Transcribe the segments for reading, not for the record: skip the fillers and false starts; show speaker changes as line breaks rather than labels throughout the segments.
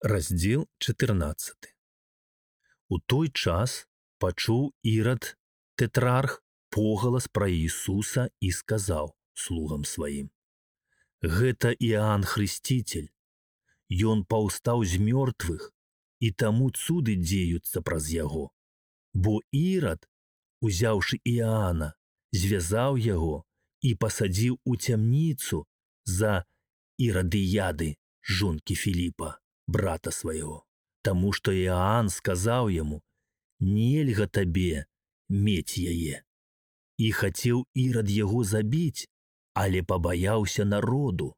Раздзел 14. У той час пачуў Ірад тэтрарх погалас пра Іісуса і сказаў слугам сваім: «Гэта Іоанн Хрысціцель. Ён паўстаў з мёртвых, і таму цуды дзеюцца праз яго. Бо Ірад, узяўшы Іоанна, звязаў яго і пасадзіў у цямніцу за Ірадыяды, жонкі Філіпа, брата свайго, таму што Іоанн сказаў яму: «Нельга табе мець яе». І хацеў Ірад яго забіць, але пабаяўся народу,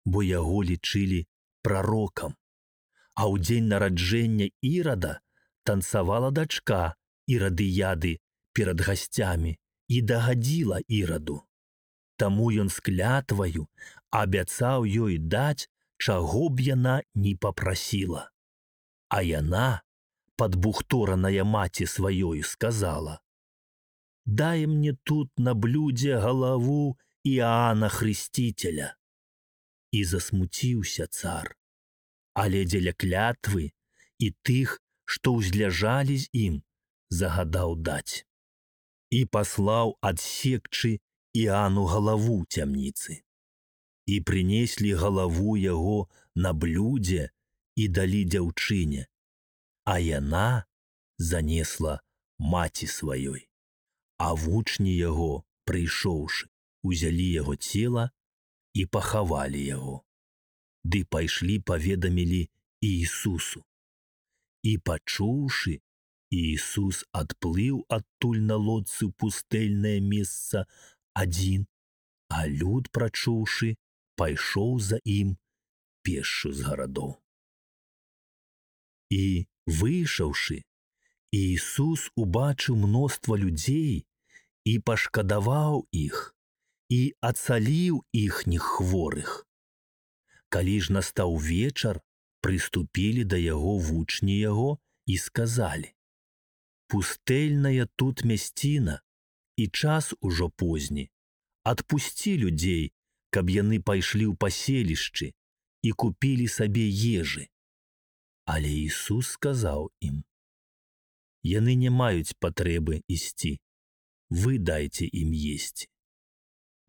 бо яго лічылі прарокам. А ў дзень нараджэння Ірада танцавала дачка Ірадыяды перад гасцямі і дагадзіла Іраду. Таму ён з клятваю абяцаў ёй даць, чаго б яна ні папрасіла. А яна, падбухтораная маці сваёю, сказала: «Дай мне тут на блюдзе галаву Іоанна Хрысціцеля». І засмуціўся цар, але дзеля клятвы і тых, што ўзляжалі з ім, загадаў даць. І паслаў адсекчы Іоанну галаву цямніцы. І прынеслі галаву яго на блюдзе і далі дзяўчыне, а яна занесла маці сваёй. А вучні яго, прыйшоўшы, узялі яго цела і пахавалі яго. Ды пайшлі паведамілі Іісусу. І пачуўшы, Іісус адплыў адтуль на лодцы ў пустэльнае месца адзін, а люд, прачуўшы, пайшоў за ім пешшу з гарадоў. І, выйшаўшы, Іісус убачыў мноства людзей і пашкадаваў іх, і ацаліў іхніх хворых. Калі ж настаў вечар, прыступілі да яго вучні яго і сказалі: «Пустэльная тут мясціна, і час ужо позні. Адпусці людзей, каб яны пайшлі ў паселішчы і купілі сабе ежы». Але Ісус сказаў ім: «Яны не маюць патрэбы ісці, вы дайце ім есці».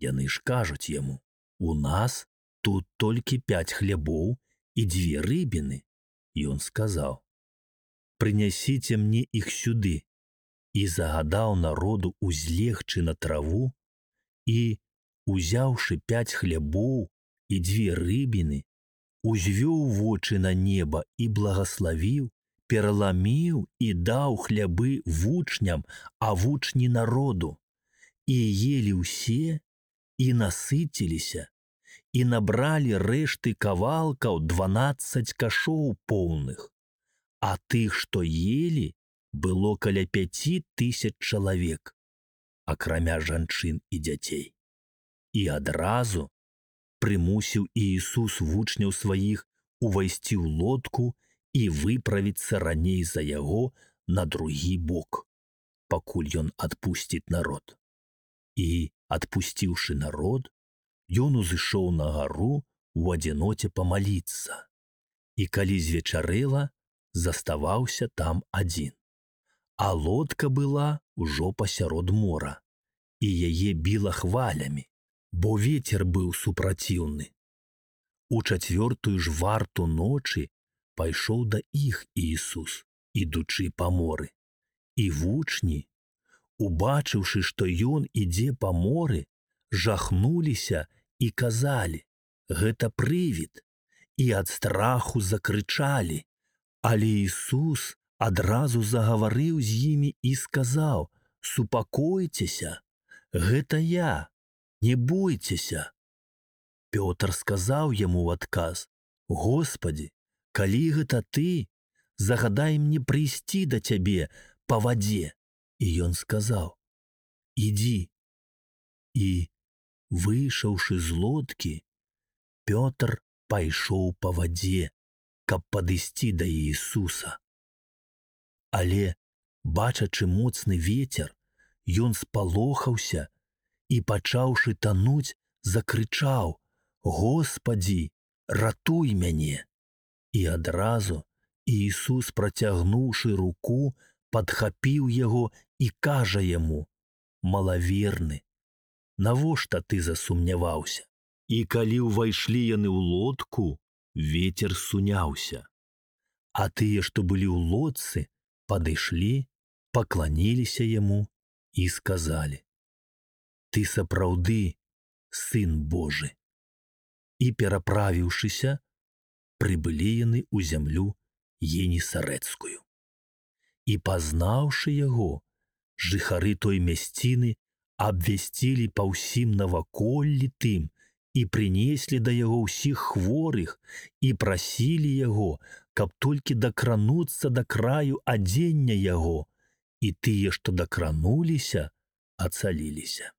Яны ж кажуць яму: «У нас тут толькі 5 хлябоў і 2 рыбіны». Ён сказаў: «Прынясіце мне іх сюды». І загадаў народу узлегчы на траву, і, узяўшы 5 хлябоў і 2 рыбіны, узвёў вочы на неба і благаславіў, пераламіў і даў хлябы вучням, а вучні народу. І елі ўсе, і насыціліся, і набралі рэшты кавалкаў 12 кашоў поўных. А тых, што елі, было каля 5000 чалавек, акрамя жанчын і дзяцей. І адразу прымусіў Іісус вучняў сваіх увайсці ў лодку і выправіцца раней за яго на другі бок, пакуль ён адпусціць народ. І, адпусціўшы народ, ён узышоў на гару у адзіноце памаліцца. І калі звечарэла, заставаўся там адзін. А лодка была ўжо пасярод мора, і яе біла хвалямі, бо вецер быў супраціўны. У 4-ю ж варту ночы пайшоў да іх Іісус, ідучы па моры. І вучні, убачыўшы, што ён ідзе па моры, жахнуліся і казалі: «Гэта прывід», і ад страху закрычалі. Але Іісус адразу загаварыў з імі і сказаў: «Супакойцеся, гэта я, не бойцеся». Пётр сказаў яму ў адказ: «Господі, калі гэта ты, загадай мне прыйсці да цябе па вадзе». І ён сказаў: «Ідзі». І, выйшаўшы з лодкі, Пётр пайшоў па вадзе, каб падысці да Іісуса. Але, бачачы моцны вецер, ён спалохаўся і, пачаўшы тануць, закрычаў: «Господі, ратуй мяне!» І адразу Ісус, працягнуўшы руку, падхапіў яго і кажа яму: «Малаверны, навошта ты засумняваўся?» І калі ўвайшлі яны ў лодку, вецер суняўся. А тыя, што былі ў лодцы, падышлі, пакланіліся яму і сказалі: «Ты сапраўды Сын Божы». І, пераправіўшыся, прыбылі яны ў зямлю Генесарэцкую. І, пазнаўшы яго, жыхары той мясціны абвясцілі па ўсім наваколлі тым і прынеслі да яго ўсіх хворых і прасілі яго, каб толькі дакрануцца да краю адзення яго, і тыя, што дакрануліся, ацаліліся.